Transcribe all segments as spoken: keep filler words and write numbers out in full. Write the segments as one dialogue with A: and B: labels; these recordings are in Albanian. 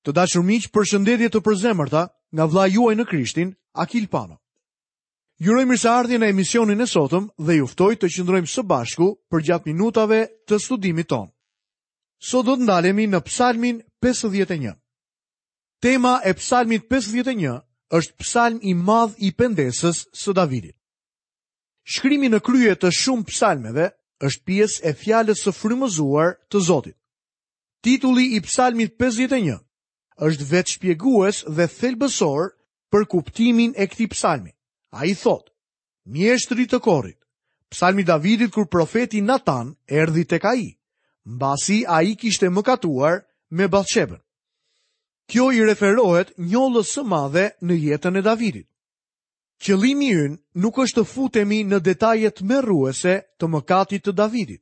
A: Të dashur miq, përshëndetje të përzemërta nga vëllai juaj në Krishtin, Akil Pano. Ju uroj mirëseardhje në emisionin e sotëm dhe ju ftoj të qëndrojmë së bashku përgjatë minutave të studimit tonë. Sot do të ndalemi në Psalmin pesëdhjetë e një. Tema e Psalmit pesëdhjetë e një është psalm i madh i pendesës së Davidit. Shkrimi në krye të shumë psalmeve është pjesë e fjalës së frymëzuar të Zotit. Titulli i Psalmit pesëdhjetë e një është vetë shpjegues dhe thelbësor për kuptimin e këtij psalmi. Ai thotë: Mjeshtri të korit, psalmi Davidit kur profeti Natan erdhi tek ai, mbasi ai kishte mëkatuar me Bathshebën. Kjo i referohet njollës së madhe në jetën e Davidit. Qëllimi ynë nuk është të futemi në detaje tmerruese të mëkatit të Davidit.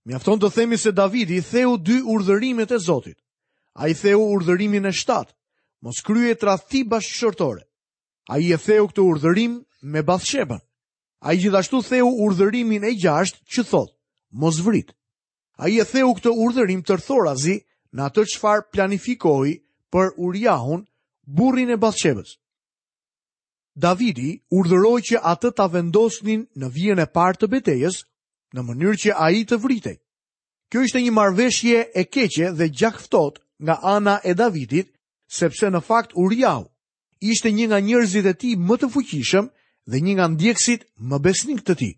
A: Mjafton të themi se Davidi theu dy urdhërimet e Zotit. Ai theu urdhërimin e shtatë, mos krye tradhti bashkëshortore. Ai e theu këtë urdhërim me Bathshebën. Ai gjithashtu theu urdhërimin e gjashtë që thotë, mos vrit. Ai e theu këtë urdhërim tërthorazi në atë çfarë planifikoi për Uriahun, burrin e Bathshebës. Davidi urdhëroi që atë ta vendosnin në vijën e parë të betejës, në mënyrë që ai të vritej. Kjo ishte një marrëveshje e keqe dhe gjakftohtë nga ana e Davidit, sepse në fakt Uriahu ishte një nga njerëzit e tij më të fuqishëm dhe një nga ndjekësit më besnik të tij.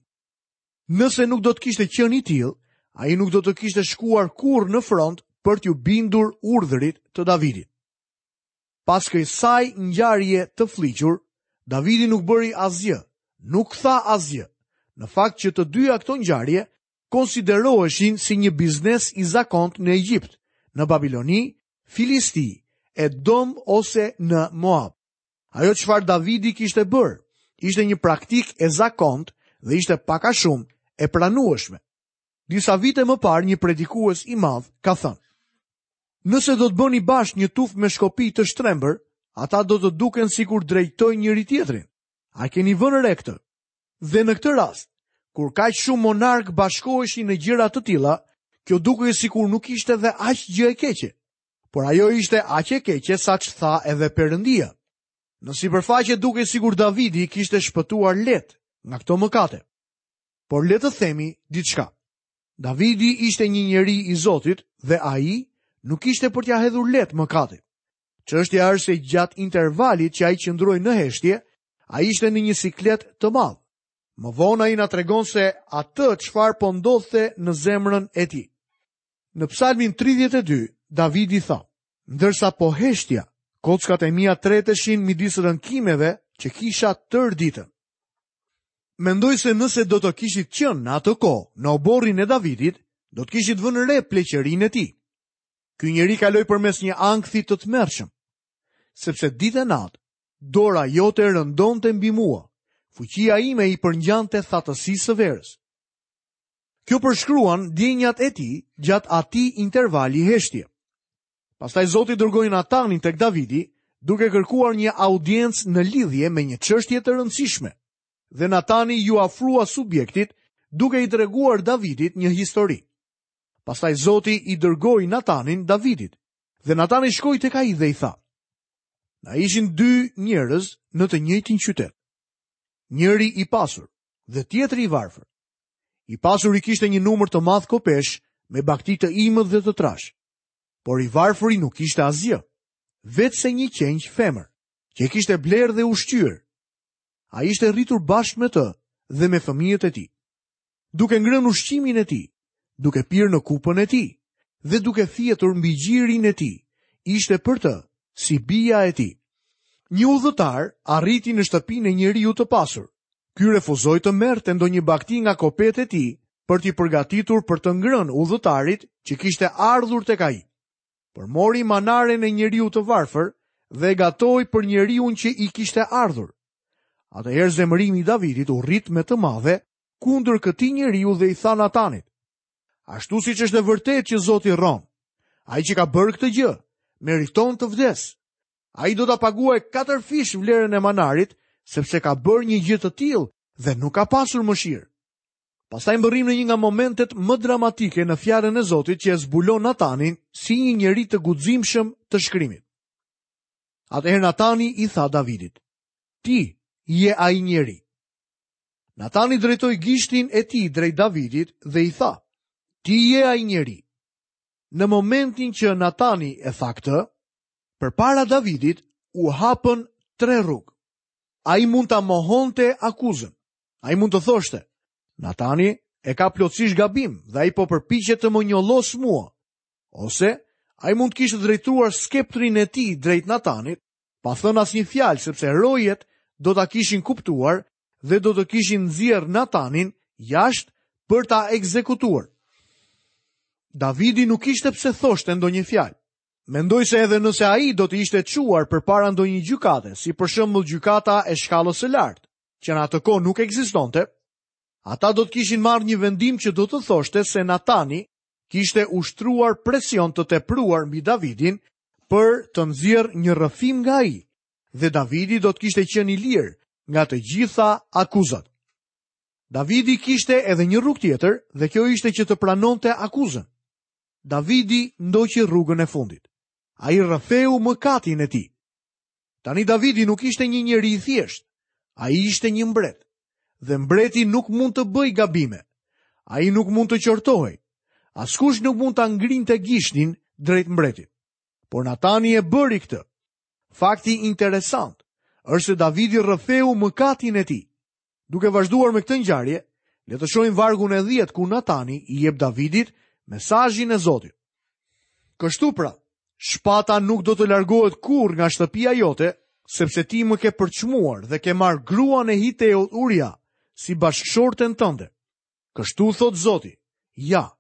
A: Nëse nuk do të kishte qenë i tillë, ai nuk do të kishte shkuar kurrë në front për t'ju bindur urdhrit të Davidit. Pas kësaj ngjarje të fliqur, Davidi nuk bëri asgjë, nuk tha asgjë. Në fakt që të dyja këto ngjarje konsideroheshin si një biznes i zakont në Egjipt, në Babiloni, Filisti, Edom ose në Moab. Ajo çfarë Davidi kishte bërë ishte një praktikë e zakont dhe ishte pak a shumë e pranueshme. Disa vite më parë një predikues i madh ka thënë: Nëse do të bëni bashkë një tufë me shkopi të shtrembër, ata do të duken sikur drejtojnë njëri tjetrin. A keni vënë re këtë? Dhe në këtë rast, kur kaq shumë monark bashkoheshin në gjëra të tilla, kjo dukej sikur nuk ishte dhe aq gjë e keqe, por ajo ishte aq e keqe sa ç'tha edhe Perëndia. Në sipërfaqe dukej sikur Davidi kishte shpëtuar lehtë nga këto mëkate. Por le të themi diçka. Davidi ishte një njeri i Zotit dhe ai nuk ishte për t'ia hedhur lehtë mëkatit. Çështja është se gjatë intervalit që ai qëndroi në heshtje, ai ishte në një siklet të madh. Më vonë ai na tregon se atë çfarë po ndodhte në zemrën e tij. Në Psalmin tridhjetë e dy, Davidi tha: Ndërsa po heshtja, kockat e mia treteshin midis rënkimeve që kisha tërë ditën. Mendoj se nëse do të kishit qenë në atë kohë në oborrin e Davidit, do të kishit vënë re pleqërinë e tij. Ky njeri kaloi përmes një ankthi të tmerrshëm, sepse ditë e natë dora jote rëndonte mbi mua, fuqia ime i përngjante thatësisë së verës. Kjo përshkruan ndjenjat e tij gjatë atij intervali heshtje. Pastaj Zoti dërgoi Natanin tek Davidi, duke kërkuar një audiencë në lidhje me një çështje të rëndësishme. Dhe Natani ju afrua subjektit, duke i treguar Davidit një histori. Pastaj Zoti i dërgoi Natanin Davidit, dhe Natani shkoi tek ai dhe i tha: Na ishin dy njerëz në të njëjtin qytet, njëri i pasur dhe tjetri i varfër. I pasuri kishte një numër të madh kopesh me bakti të imët dhe të trash, por i varfëri nuk kishte asgjë, vetse një qengj femër, që e kishte blerë dhe ushqyer. Ai ishte rritur bashkë me të dhe me fëmijët e tij, duke ngrënë ushqimin e tij, duke pirë në kupën e tij dhe duke fjetur mbi gjirin e tij, ishte për të si bija e tij. Një udhëtar arriti në shtëpinë e njeriu të pasur. Ky refuzoi të merrte ndonjë bakti nga kopet e tij për t'i përgatitur për të ngrënë udhëtarit që kishte ardhur tek ai. Por mori manaren e njeriu të varfër dhe e gatoi për njeriun që i kishte ardhur. Atëherë zemërimi i Davidit u rrit me të madhe kundër këtij njeriu dhe i tha Natanit: Ashtu siç është e vërtetë që Zoti rron, ai që ka bërë këtë gjë meriton të vdes. Ai do ta paguajë katër fish vlerën e manarit, sepse ka bërë një gjë të tillë dhe nuk ka pasur mëshirë. Pastaj mbërrim në një nga momentet më dramatike në fjalën e Zotit që e zbulon Natanin si një njeri të guximshëm të shkrimit. Atëherë Natani i tha Davidit: "Ti je ai njeri." Natani drejtoi gishtin e tij drejt Davidit dhe i tha: "Ti je ai njeri." Në momentin që Natani e tha këtë, përpara Davidit u hapën tre rrugë. Ai mund ta mohonte akuzën. Ai mund të thoshte: "Natani e ka plotësisht gabim dhe ai po përpiqet të më njollos mua." Ose ai mund të kishte drejtuar skeptrin e tij drejt Natanit, pa thënë asnjë fjalë, sepse rojet do ta kishin kuptuar dhe do të kishin nxjerrë Natanin jashtë për ta ekzekutuar. Davidi nuk kishte pse thoshte ndonjë fjalë. Mendoj se edhe nëse ai do të ishte çuar përpara ndonjë gjykate, si për shembull gjykata e shkallës së lartë, që në atë kohë nuk ekzistonte, ata do të kishin marrë një vendim që do të thoshte se Natani kishte ushtruar presion të tepruar mbi Davidin për të nxjerrë një rrëfim nga ai, dhe Davidi do të kishte qenë i lirë nga të gjitha akuzat. Davidi kishte edhe një rrugë tjetër, dhe kjo ishte që të pranonte akuzën. Davidi ndoqi rrugën e fundit. Ai rrëfeu mëkatin e tij. Tani Davidi nuk ishte një njeri i thjeshtë. Ai ishte një mbret. Dhe mbreti nuk mund të bëjë gabime. Ai nuk mund të qortohej. Askush nuk mund ta ngrinte gishtin drejt mbretit. Por Natani e bëri këtë. Fakti interesant është se Davidi rrëfeu mëkatin e tij. Duke vazhduar me këtë ngjarje, le të shohim vargun e dhjetë ku Natani i jep Davidit mesazhin e Zotit. Kështu pra, shpata nuk do të largohet kurrë nga shtëpia jote, sepse ti më ke përçmuar dhe ke marrë gruan e Hiteut Uria si bashkëshorten tënde. Kështu thot Zoti: "Ja,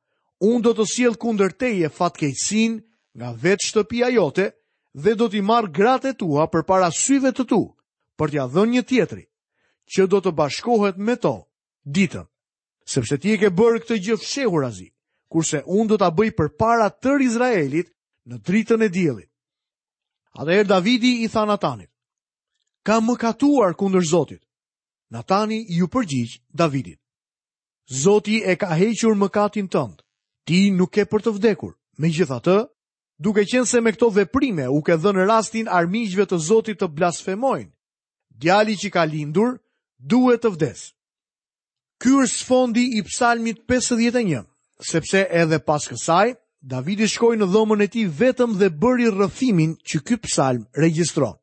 A: unë do të sjell kundër teje fatkeqësinë nga vetë shtëpia jote dhe do t'i marr gratë e tua përpara syve të tu, për t'ia dhënë një tjetri, që do të bashkohet me to ditën, sepse ti e ke bërë këtë gjë fshehurazi, kurse unë do ta bëj përpara tërë Izraelit në dritën e diellit." Atëherë Davidi i tha Natanit: "Kam mëkatuar kundër Zotit." Natani iu përgjigj Davidit: "Zoti e ka hequr mëkatin tënd. Ti nuk ke për të vdekur. Megjithatë, duke qenë se me këto veprime u ke dhënë rastin armiqve të Zotit të blasfemojnë, djali që ka lindur duhet të vdes." Ky është sfondi i Psalmit pesëdhjetë e një, sepse edhe pas kësaj Davidi shkoi në dhomën e tij vetëm dhe bëri rrëfimin që ky psalm regjistron.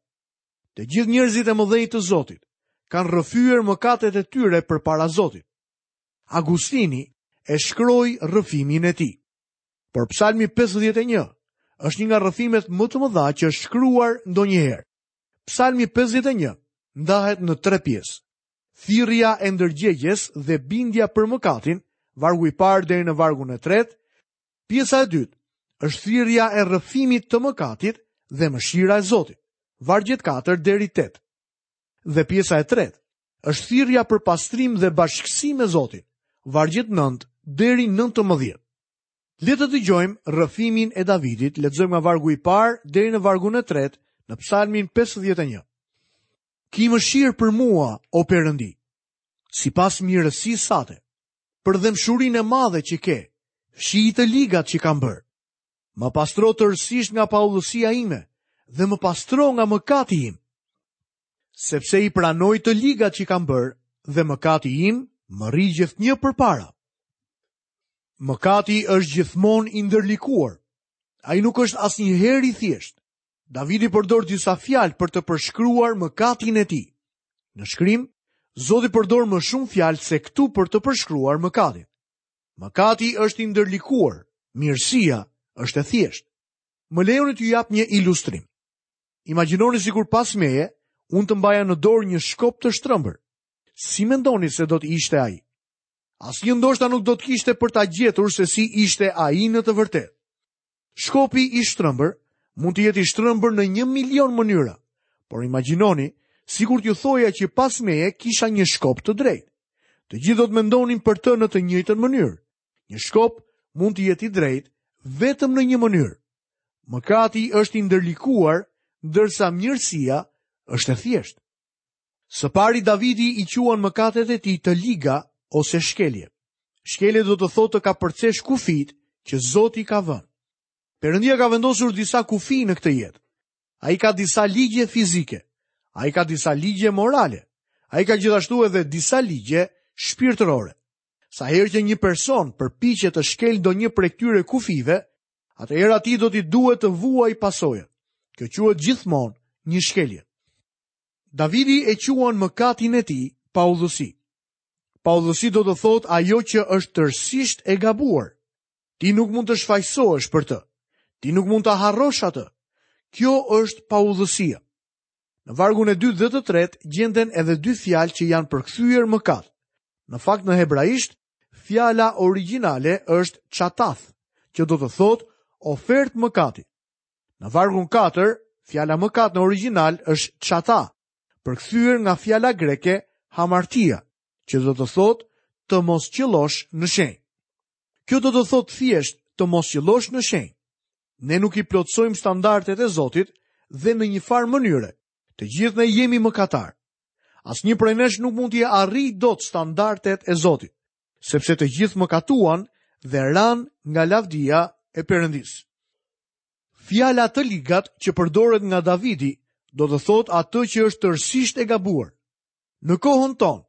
A: Të gjithë njerëzit e mëdhenj të Zotit kanë rrëfyer mëkatet e tyre përpara Zotit. Agustini e shkroi rrëfimin e tij. Por Psalmi pesëdhjetë e një është një nga rrëfimet më të mëdha që është shkruar ndonjëherë. Psalmi pesëdhjetë e një ndahet në tre pjesë. Thirrja e ndërgjegjes dhe bindja për mëkatin, vargu i parë deri në vargun e tretë. Pjesa e dytë është thirrja e rrëfimit të mëkatit dhe mëshira e Zotit, vargjet katër deri tetë. Dhe pjesa e tretë është thirrja për pastrim dhe bashkësi me Zotin, vargjet nëntë deri nëntëmbëdhjetë. Le të dëgjojmë rrëfimin e Davidit, lexojmë nga vargu i parë deri në vargun e tretë në Psalmin pesëdhjetë e një. Ki mëshirë për mua, o Perëndi, sipas mirësisë sate, për dhembshurinë e madhe që ke, fshij të ligat që kam bërë. Më pastro tërësisht nga paudhësia ime dhe më pastro nga mëkati im, sepse i pranoj të ligat që kam bërë dhe mëkati im më rri gjithnjë përpara. Mëkati është gjithmonë i ndërlikuar. Ai nuk është asnjëherë i thjeshtë. Davidi përdor disa fjalë për të përshkruar mëkatin e tij. Në shkrim, Zoti përdor më shumë fjalë se këtu për të përshkruar mëkatin. Mëkati është i ndërlikuar, mirësia është e thjeshtë. Më lejoni t'ju jap një ilustrim. Imagjinoni sikur pas meje, unë të mbaja në dorë një shkop të shtrëmbër. Si mendoni se do të ishte ai? Asnjë ndoshta nuk do të kishte për ta gjetur se si ishte ai në të vërtetë. Shkopi i shtrëmbër mund të jetë i shtrëmbër në një milion mënyra, por imagjinoni sikur t'ju thoja që pas meje kisha një shkop të drejtë. Të gjithë do të mendonin për të në të njëjtën mënyrë. Një shkop mund të jetë i drejtë vetëm në një mënyrë. Mëkati është i ndërlikuar, ndërsa mirësia është e thjeshtë. Së pari Davidi i quan mëkatet e tij të liga ose shkelje. Shkelje do të thotë të kapërcesh kufijt që Zoti ka vënë. Perëndia ka vendosur disa kufij në këtë jetë. Ai ka disa ligje fizike. Ai ka disa ligje morale. Ai ka gjithashtu edhe disa ligje shpirtërore. Sa herë që një person përpiqet të shkel ndonjë prej këtyre kufijve, atëherë atij do t'i duhet të vuajë pasojat. Kjo quhet gjithmonë një shkelje. Davidi e quan mëkatin e tij paudhësi. Paudhësi do të thotë ajo që është tërësisht e gabuar. Ti nuk mund të shfajsohesh për të. Ti nuk mund ta harrosh atë. Kjo është paudhësia. Në vargun e dytë dhe të tretë gjenden edhe dy fjalë që janë përkthyer mëkat. Në fakt në hebraisht, fjala origjinale është chatath, që do të thotë ofertë mëkati. Në vargun katër, fjala mëkat në origjinal është chata, përkthyer nga fjala greke hamartia, që do të thotë të mos qellosh në shenjë. Kjo do të thotë thjesht të mos qellosh në shenjë. Ne nuk i plotësojmë standardet e Zotit dhe në një farë mënyre, të gjithë ne jemi mëkatar. Asnjë prej nesh nuk mund t'i arrijë dot standardet e Zotit, sepse të gjithë mëkatuan dhe ranë nga lavdia e Perëndisë. Fjala të ligat që përdoret nga Davidi do të thotë atë që është tërësisht e gabuar. Në kohën tonë,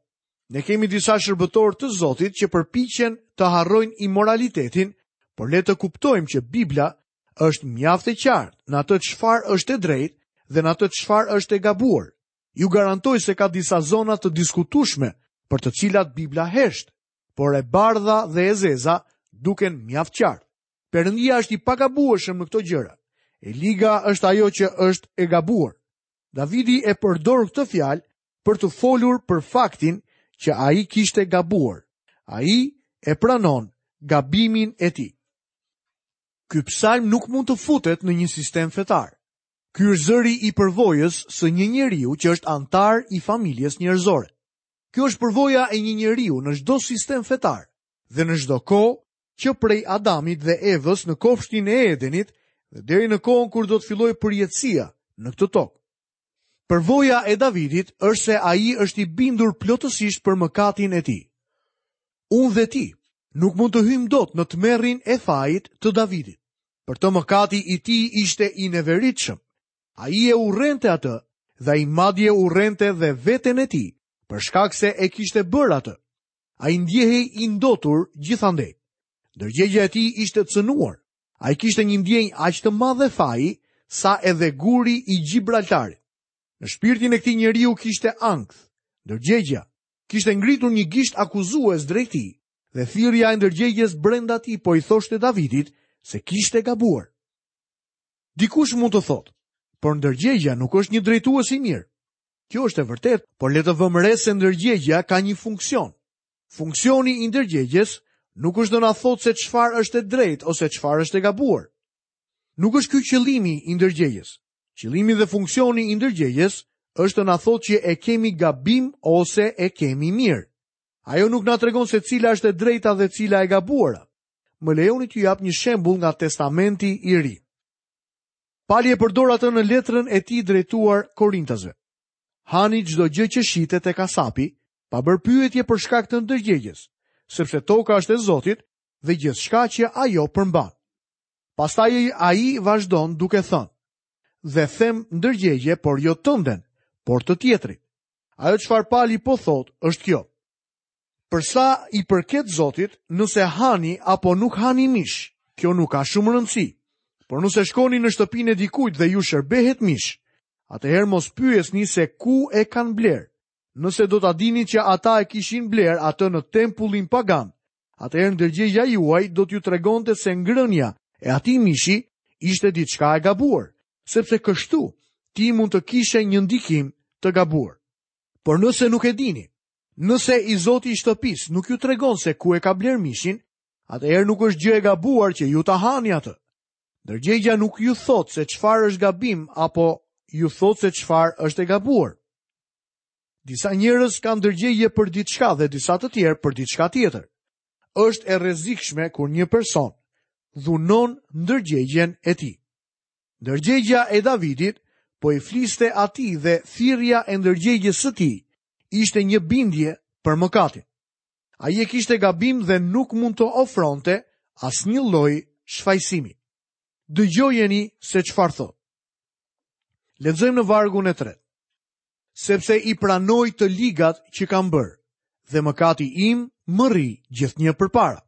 A: ne kemi disa shërbëtorë të Zotit që përpiqen të harrojnë imoralitetin, por le të kuptojmë që Bibla është mjaft e qartë në atë çfarë është e drejtë dhe në atë çfarë është e gabuar. Ju garantoj se ka disa zona të diskutueshme për të cilat Bibla hesht, por e bardha dhe e zeza duken mjaft qartë. Perëndia është i pagabueshëm në këto gjëra. E liga është ajo që është e gabuar. Davidi e përdor këtë fjalë për të folur për faktin që ai kishte gabuar. Ai e pranon gabimin e tij. Ky psalm nuk mund të futet në një sistem fetar. Ky është zëri i përvojës së një njeriu që është antar i familjes njerëzore. Kjo është përvoja e një njeriu në çdo sistem fetar dhe në çdo kohë që prej Adamit dhe Evës në kopshtin e Edenit dhe deri në kohën kur do të fillojë përjetësia në këtë tokë. Përvoja e Davidit është se ai është i bindur plotësisht për mëkatin e tij. Unë dhe ti nuk mund të hyjmë dot në tmerrin e fajit të Davidit. Për të mëkati i tij ishte i neveritshëm. Ai e urrente atë dhe ai madje urrente dhe veten e tij, për shkak se e kishte bërë atë. Ai ndjehej i ndotur gjithandej. Ndërgjegja e tij ishte cënuar. Ai kishte një ndjenjë aq të madhe faji sa edhe guri i Gjibraltarit. Në shpirtin e këtij njeriu kishte ankth. Ndërgjegja kishte ngritur një gisht akuzues drejt tij dhe thirrja e ndërgjegjes brenda tij po i thoshte Davidit se kishte gabuar. Dikush mund të thotë, por ndërgjegja nuk është një drejtues i mirë. Kjo është e vërtetë, por le të vëmë re se ndërgjegja ka një funksion. Funksioni i ndërgjegjes nuk është të na thotë se çfarë është e drejtë ose çfarë është e gabuar. Nuk është ky qëllimi i ndërgjegjes. Qëllimi dhe funksioni i ndërgjegjes është të na thotë që e kemi gabim ose e kemi mirë. Ajo nuk na tregon se cila është e drejta dhe cila e gabuara. Më lejoni t'ju jap një shembull nga Testamenti i Ri. Pali e përdor atë në letrën e tij drejtuar Korintasve. Hani çdo gjë që shitet te kasapi, pa bërë pyetje për shkak të ndërgjegjes, sepse toka është e Zotit dhe gjithçka që ajo përmban. Pastaj ai vazhdon duke thënë: Dhe them ndërgjegje, por jo tënden, por të tjetrit. Ajo çfarë Pali po thotë është kjo: Për sa i përket Zotit, nëse hani apo nuk hani mish, kjo nuk ka shumë rëndësi. Por nëse shkoni në shtëpinë e dikujt dhe ju shërbehet mish, atëherë mos pyesni se ku e kanë bler. Nëse do ta dini që ata e kishin bler atë në tempullin pagan, atëherë ndërgjegja juaj do t'ju tregonte se ngrënia e atij mishi ishte diçka e gabuar, sepse kështu ti mund të kishe një ndikim të gabuar. Por nëse nuk e dini, nëse i zoti i shtëpisë nuk ju tregon se ku e ka bler mishin, atëherë nuk është gjë e gabuar që ju ta hani atë. Ndërgjegja nuk ju thotë se çfarë është gabim apo ju thotë se çfarë është e gabuar. Disa njerëz kanë ndërgjegje për diçka dhe disa të tjerë për diçka tjetër. Është e rrezikshme kur një person dhunon ndërgjegjen e tij. Ndërgjegja e Davidit po i fliste atij dhe thirrja e ndërgjegjes së tij ishte një bindje për mëkatin. Ai e kishte gabim dhe nuk mund të ofronte asnjë lloj shfajësimi. Dëgjojeni se çfarë thotë. Lexojmë në vargun e tretë. Sepse i pranoj të ligat që kam bërë, dhe mëkati im më rri gjithnjë përpara.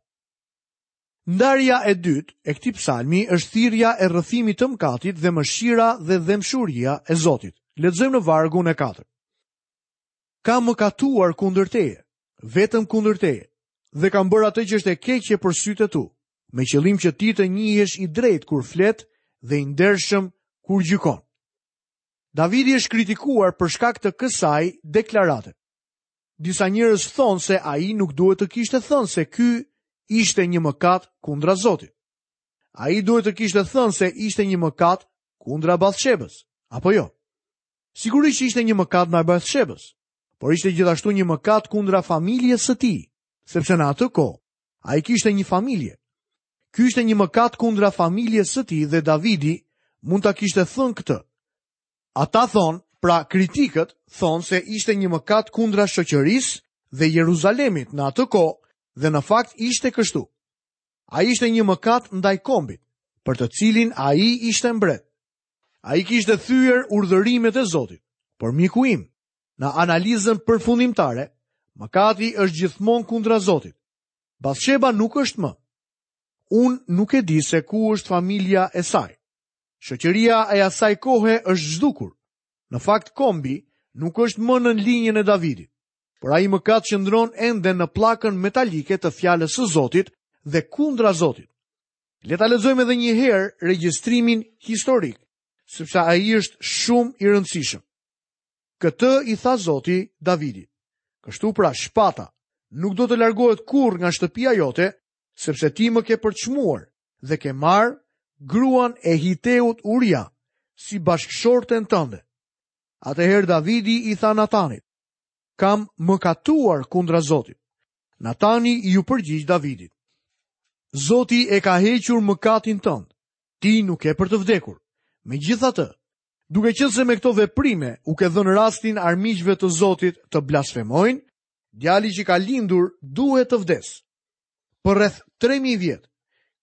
A: Ndarja e dytë e këtij psalmi është thirrja e rrëfimit të mëkatit dhe mëshira dhe dhembshuria e Zotit. Lexojmë në vargun e katërt. Kam mëkatuar kundër teje, vetëm kundër teje, dhe kam bërë atë që është e keqe për sytë e tu, me qëllim që ti të njihesh i drejtë kur flet dhe i ndershëm kur gjykon. Davidi është kritikuar për shkak të kësaj deklarate. Disa njerëz thonë se ai nuk duhet të kishte thënë se ky ishte një mëkat kundra Zotit. Ai duhet të kishte thënë se ishte një mëkat kundra Bathshebës, apo jo? Sigurisht ishte një mëkat ndaj Bathshebës, por ishte gjithashtu një mëkat kundra familjes së tij, sepse në atë kohë ai kishte një familje. Ky ishte një mëkat kundra familjes së tij dhe Davidi mund ta kishte thënë këtë. Ata thonë, pra kritikët thonë se ishte një mëkat kundra shoqërisë dhe Jeruzalemit në atë kohë dhe në fakt ishte kështu. Ai ishte një mëkat ndaj kombit, për të cilin ai ishte mbret. Ai kishte thyer urdhërimet e Zotit, por miku im, në analizën përfundimtare, mëkati është gjithmonë kundra Zotit. Bathsheba nuk është më. Unë nuk e di se ku është familja e saj. Shoqëria e asaj kohe është zhdukur. Në fakt kombi nuk është më në linjën e Davidit, por ai mëkat qëndron ende në pllakën metalike të fjalës së Zotit dhe kundra Zotit. Le ta lexojmë edhe një herë regjistrimin historik, sepse ai është shumë i rëndësishëm. Këtë i tha Zoti Davidit. Kështu pra shpata nuk do të largohet kurrë nga shtëpia jote, sepse ti më ke përçmuar dhe ke marrë gruan e Hiteut Uria si bashkëshorten tënde. Atëherë Davidi i tha Natanit: Kam mëkatuar kundra Zotit. Natani iu përgjigj Davidit: Zoti e ka hequr mëkatin tënd. Ti nuk ke për të vdekur. Megjithatë, duke qenë se me këto veprime u ke dhënë rastin armiqve të Zotit të blasfemojnë, djali që ka lindur duhet të vdes. Për rreth tre mijë vjet,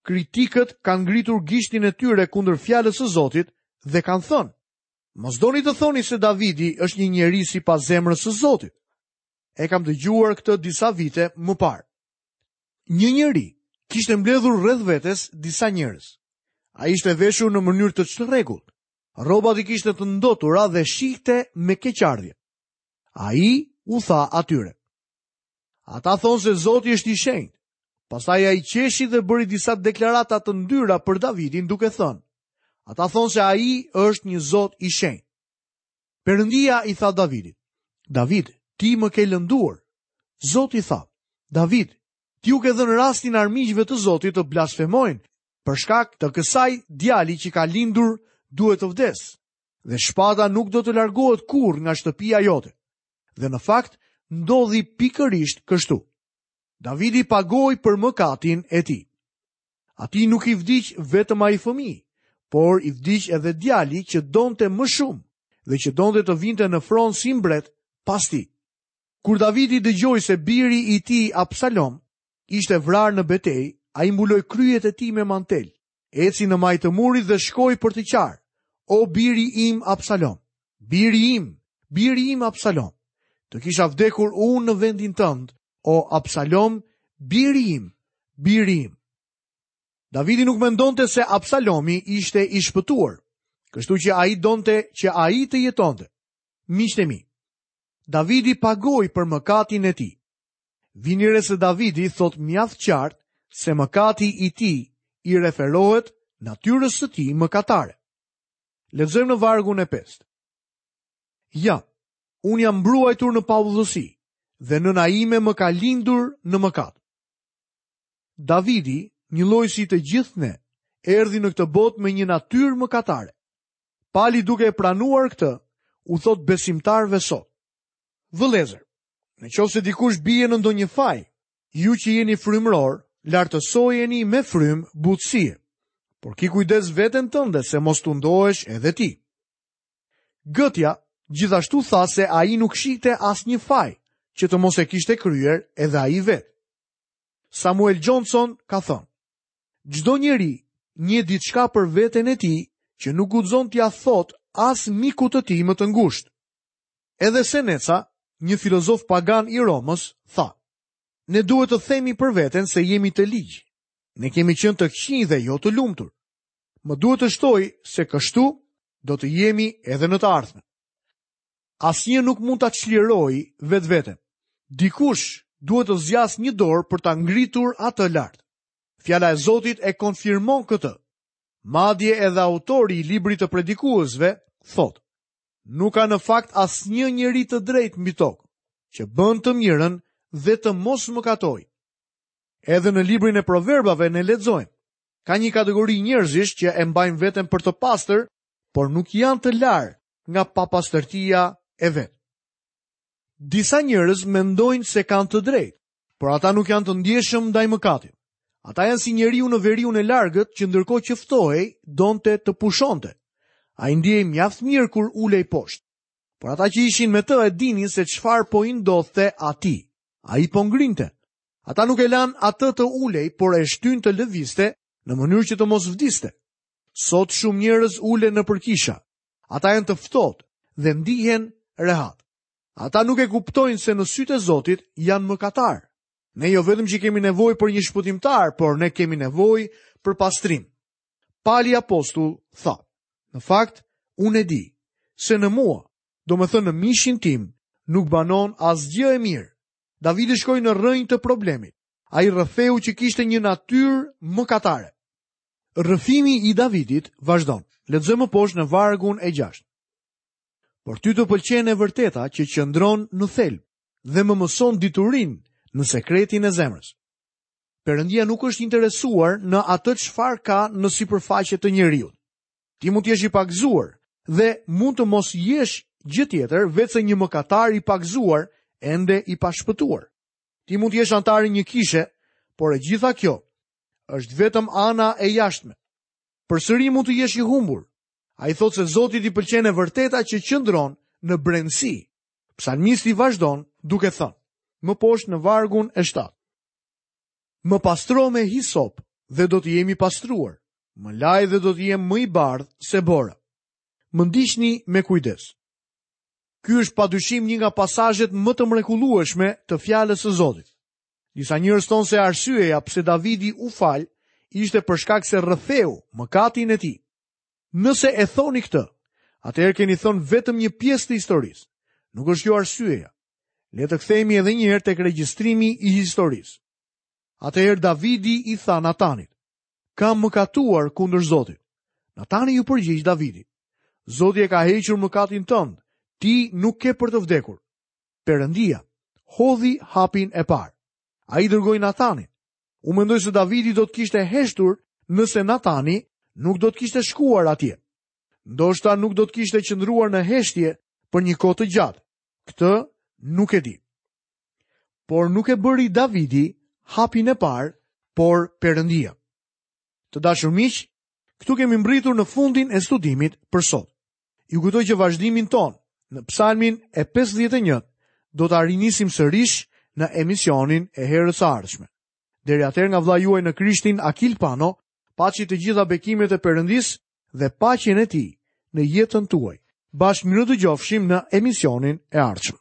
A: kritikët kanë ngritur gishtin e tyre kundër fjalës së Zotit dhe kanë thënë: Mos doni të thoni se Davidi është një njeri sipas zemrës së Zotit. E kam dëgjuar këtë disa vite më parë. Një njeri kishte mbledhur rreth vetes disa njerëz. Ai ishte veshur në mënyrë të çrregullt. Rrobat i kishte të ndotura dhe shihte me keqardhje. Ai u tha atyre: Ata thonë se Zoti është i shenjtë. Pastaj ai qeshi dhe bëri disa deklarata të ndyra për Davidin duke thënë: Ata thonë se ai është një Zot i shenjtë. Perëndia i tha Davidit: David, ti më ke lënduar. Zoti tha: David, ti u ke dhënë rastin armiqve të Zotit të blasfemojnë, për shkak të kësaj djali që ka lindur duhet të vdes, dhe shpata nuk do të largohet kurrë nga shtëpia jote. Dhe në fakt ndodhi pikërisht kështu. Davidi pagoi për mëkatin e tij. Atij nuk i vdiq vetëm ai fëmijë, por i vdiq edhe djali që donte më shumë dhe që donte të vinte në fron si mbret pas tij. Kur Davidi dëgjoi se biri i tij Absalom ishte vrarë në betejë, ai mbuloi kryet e tij me mantel, eci në majë të murit dhe shkoi për të qarë: O biri im Absalom, biri im, biri im Absalom, të kisha vdekur unë në vendin tënd, o Absalom, biri im, biri im. Davidi nuk mendonte se Absalomi ishte i shpëtuar, kështu që ai donte që ai të jetonte. Miqtë e mi, Davidi pagoi për mëkatin e tij. Vini re se Davidi thot mjaft qartë se mëkati i tij i referohet natyrës së tij mëkatare. Lexojmë në vargun e pestë. Ja, unë jam mbruajtur në paudhësi dhe nëna ime më ka lindur në mëkat. Davidi, një lloj si të gjithë ne, erdhi në këtë botë me një natyrë mëkatare. Pali duke e pranuar këtë, u thot besimtarëve sot: Vëllezër, në qoftë se dikush bie në ndonjë faj, ju që jeni frymëror, lartësojeni me frymë butësie. Por ki kujdes veten tënde se mos tundohesh edhe ti. Gëtja gjithashtu tha se ai nuk shihte asnjë faj që të mos e kishte kryer edhe ai vetë. Samuel Johnson ka thënë: Çdo njeri njeh diçka për veten e tij që nuk guxon t'ia thotë as mikut të tij më të ngushtë. Edhe Seneca, një filozof pagan i Romës, tha: Ne duhet të themi për veten se jemi të ligj. Ne kemi qenë të këqinj dhe jo të lumtur. Më duhet të shtoj se kështu do të jemi edhe në të ardhmen. Asnjë nuk mund ta çlirojë vetveten. Dikush duhet të zgjasë një dorë për ta ngritur atë lart. Fjala e Zotit e konfirmon këtë. Madje edhe autori i librit të predikuesve thotë: Nuk ka në fakt asnjë njeri të drejtë mbi tokë që bën të mirën dhe të mos mëkatojë. Edhe në librin e proverbave ne lexojmë: Ka një kategori njerëzish që e mbajnë veten për të pastër, por nuk janë të larë nga papastërtia e vet. Disa njerëz mendojnë se kanë të drejtë, por ata nuk janë të ndjeshëm ndaj mëkatit. Ata janë si njeriu në veriun e largët që ndërkohë që ftohej, donte të pushonte. Ai ndjehej mjaft mirë kur ulej poshtë. Por ata që ishin me të e dinin se çfarë po i ndodhte atij. Ai po ngrinte. Ata nuk e lanë atë të ulej, por e shtyn të lëvizte në mënyrë që të mos vdiste. Sot shumë njerëz ulen nëpër kisha. Ata janë të ftohtë dhe ndihen rehat. Ata nuk e kuptojnë se në sytë e Zotit janë mëkatar. Ne jo vetëm që kemi nevojë për një shpëtimtar, por ne kemi nevojë për pastrim. Pali apostull tha: Në fakt, unë e di se në mua, domethënë në mishin tim, nuk banon asgjë e mirë. Davidi shkoi në rrënjë të problemit. Ai rrëfeu që kishte një natyrë mëkatare. Rrëfimi i Davidit vazhdon. Lexojmë poshtë në vargun e gjashtë. Por ty të pëlqen e vërteta që qëndron në thelb dhe më mëson diturinë në sekretin e zemrës. Perëndia nuk është interesuar në atë çfarë ka në sipërfaqe të njeriut. Ti mund të jesh i pagëzuar dhe mund të mos jesh gjë tjetër veçse një mëkatar i pagëzuar, ende i pashpëtuar. Ti mund të jesh antar i një kishe, por e gjitha kjo është vetëm ana e jashtme. Përsëri mund të jesh i humbur. Ai thotë se Zotit i pëlqen e vërteta që qëndron në brendësi. Psalmisti vazhdon duke thënë, më poshtë në vargun e shtatë: Më pastro me hisop dhe do të jemi pastruar, më laj dhe do të jem më i bardhë se bora. Më ndiqni me kujdes. Ky është padyshim një nga pasazhet më të mrekullueshme të fjalës së Zotit. Disa njerëz thonë se arsyeja pse Davidi u fal ishte për shkak se rrëfeu mëkatin e tij. Nëse e thoni këtë, atëherë keni thënë vetëm një pjesë të historisë. Nuk është kjo arsyeja. Le të kthehemi edhe një herë tek regjistrimi i historisë. Atëherë Davidi i tha Natanit: Kam mëkatuar kundër Zotit. Natani ju përgjigj Davidit: Zoti e ka hequr mëkatin tënd, ti nuk ke për të vdekur. Perëndia hodhi hapin e parë. Ai dërgoi Natanin. U mendoj se Davidi do të kishte heshtur nëse Natani nuk do të kishte shkuar atje. Ndoshta nuk do të kishte qëndruar në heshtje për një kohë të gjatë. Këtë nuk e di. Por nuk e bëri Davidi hapin e parë, por Perëndia. Të dashur miq, këtu kemi mbritur në fundin e studimit për sot. Ju kujtoj që vazhdimin ton në Psalmin e pesëdhjetë e një do ta rinisim sërish në emisionin e herës së ardhshme. Deri atëherë nga vëllai juaj në Krishtin Akil Pano, paçi të gjitha bekimet e Perëndisë dhe paqen e tij në jetën tuaj. Bashkë mirë dëgjofshim në emisionin e ardhshëm.